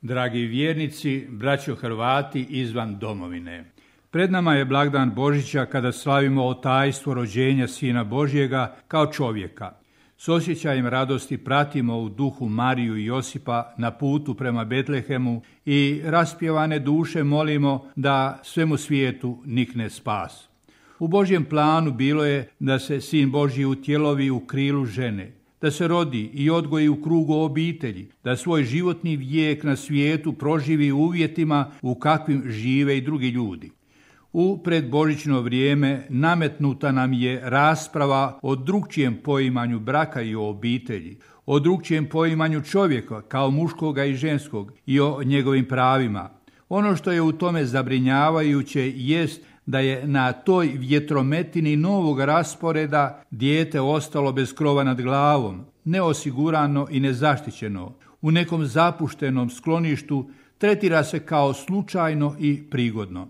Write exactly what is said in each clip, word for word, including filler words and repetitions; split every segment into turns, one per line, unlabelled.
Dragi vjernici, braćo Hrvati izvan domovine. Pred nama je blagdan Božića kada slavimo tajstvo rođenja Sina Božjega kao čovjeka. S osjećajem radosti pratimo u duhu Mariju i Josipa na putu prema Betlehemu i raspjevane duše molimo da svemu svijetu nikne spas. U Božjem planu bilo je da se Sin Božji utjelovi u krilu žene, da se rodi i odgoji u krugu obitelji, da svoj životni vijek na svijetu proživi u uvjetima u kakvim žive i drugi ljudi. U predbožićno vrijeme nametnuta nam je rasprava o drukčijem poimanju braka i o obitelji, o drukčijem poimanju čovjeka kao muškoga i ženskog i o njegovim pravima. Ono što je u tome zabrinjavajuće jest da je na toj vjetrometini novog rasporeda dijete ostalo bez krova nad glavom, neosigurano i nezaštićeno, u nekom zapuštenom skloništu, tretira se kao slučajno i prigodno.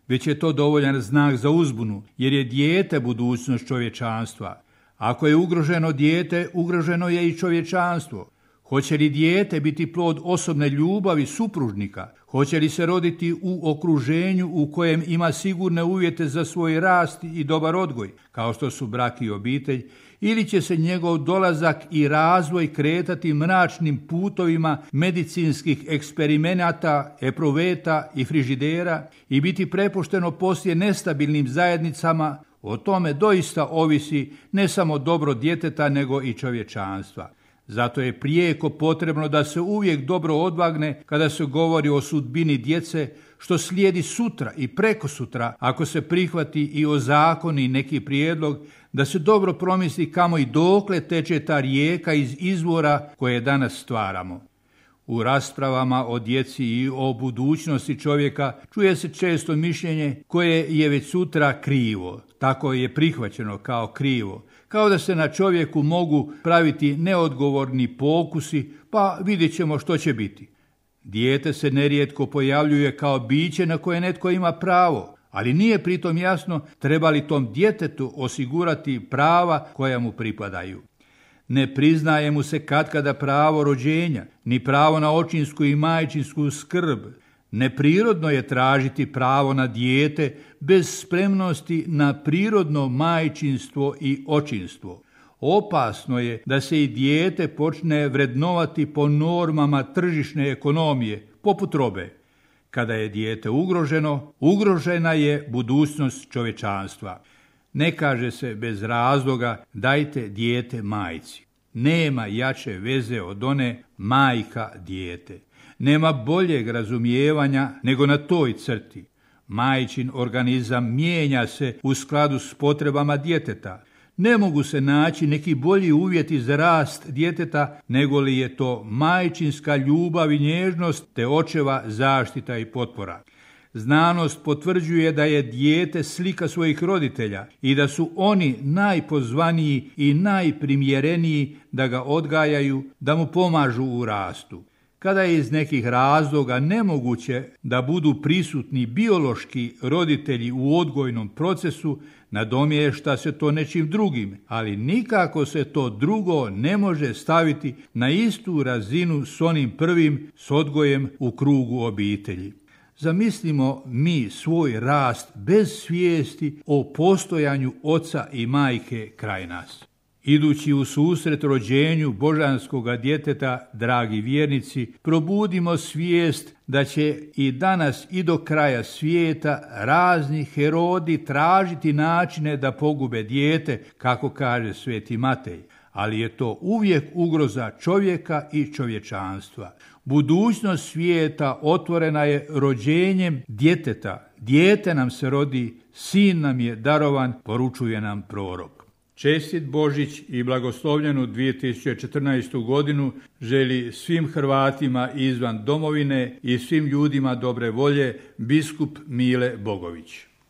Već je to dovoljan znak za uzbunu, jer je dijete budućnost čovječanstva. Ako je ugroženo dijete, ugroženo je i čovječanstvo. Hoće li dijete biti plod osobne ljubavi supružnika? Hoće li se roditi u okruženju u kojem ima sigurne uvjete za svoj rast i dobar odgoj, kao što su brak i obitelj, ili će se njegov dolazak i razvoj kretati mračnim putovima medicinskih eksperimenata, epruveta i frižidera i biti prepušteno poslije nestabilnim zajednicama? O tome doista ovisi ne samo dobro djeteta, nego i čovječanstva. Zato je prijeko potrebno da se uvijek dobro odvagne kada se govori o sudbini djece, što slijedi sutra i prekosutra ako se prihvati i ozakoni neki prijedlog, da se dobro promisli kamo i dokle teče ta rijeka iz izvora koje danas stvaramo. U raspravama o djeci i o budućnosti čovjeka čuje se često mišljenje koje je već sutra krivo. Tako je prihvaćeno kao krivo, kao da se na čovjeku mogu praviti neodgovorni pokusi, pa vidjet ćemo što će biti. Dijete se nerijetko pojavljuje kao biće na koje netko ima pravo, ali nije pritom jasno treba li tom djetetu osigurati prava koja mu pripadaju. Ne priznaje mu se katkada pravo rođenja, ni pravo na očinsku i majčinsku skrb. Neprirodno je tražiti pravo na dijete bez spremnosti na prirodno majčinstvo i očinstvo. Opasno je da se i dijete počne vrednovati po normama tržišne ekonomije, poput robe. Kada je dijete ugroženo, ugrožena je budućnost čovječanstva. Ne kaže se bez razloga dajte dijete majci. Nema jače veze od one majka dijete. Nema boljeg razumijevanja nego na toj crti. Majčin organizam mijenja se u skladu s potrebama djeteta. Ne mogu se naći neki bolji uvjeti za rast djeteta nego li je to majčinska ljubav i nježnost te očeva zaštita i potpora. Znanost potvrđuje da je dijete slika svojih roditelja i da su oni najpozvaniji i najprimjereniji da ga odgajaju, da mu pomažu u rastu. Kada je iz nekih razloga nemoguće da budu prisutni biološki roditelji u odgojnom procesu, nadomješta se to nečim drugim, ali nikako se to drugo ne može staviti na istu razinu s onim prvim, s odgojem u krugu obitelji. Zamislimo mi svoj rast bez svijesti o postojanju oca i majke kraj nas. Idući u susret rođenju božanskoga djeteta, dragi vjernici, probudimo svijest da će i danas i do kraja svijeta razni Herodi tražiti načine da pogube dijete, kako kaže sveti Matej, ali je to uvijek ugroza čovjeka i čovječanstva. Budućnost svijeta otvorena je rođenjem djeteta. Dijete nam se rodi, sin nam je darovan, poručuje nam prorok. Čestit Božić i blagoslovljenu dvije tisuće četrnaestu godinu želi svim Hrvatima izvan domovine i svim ljudima dobre volje biskup Mile Bogović.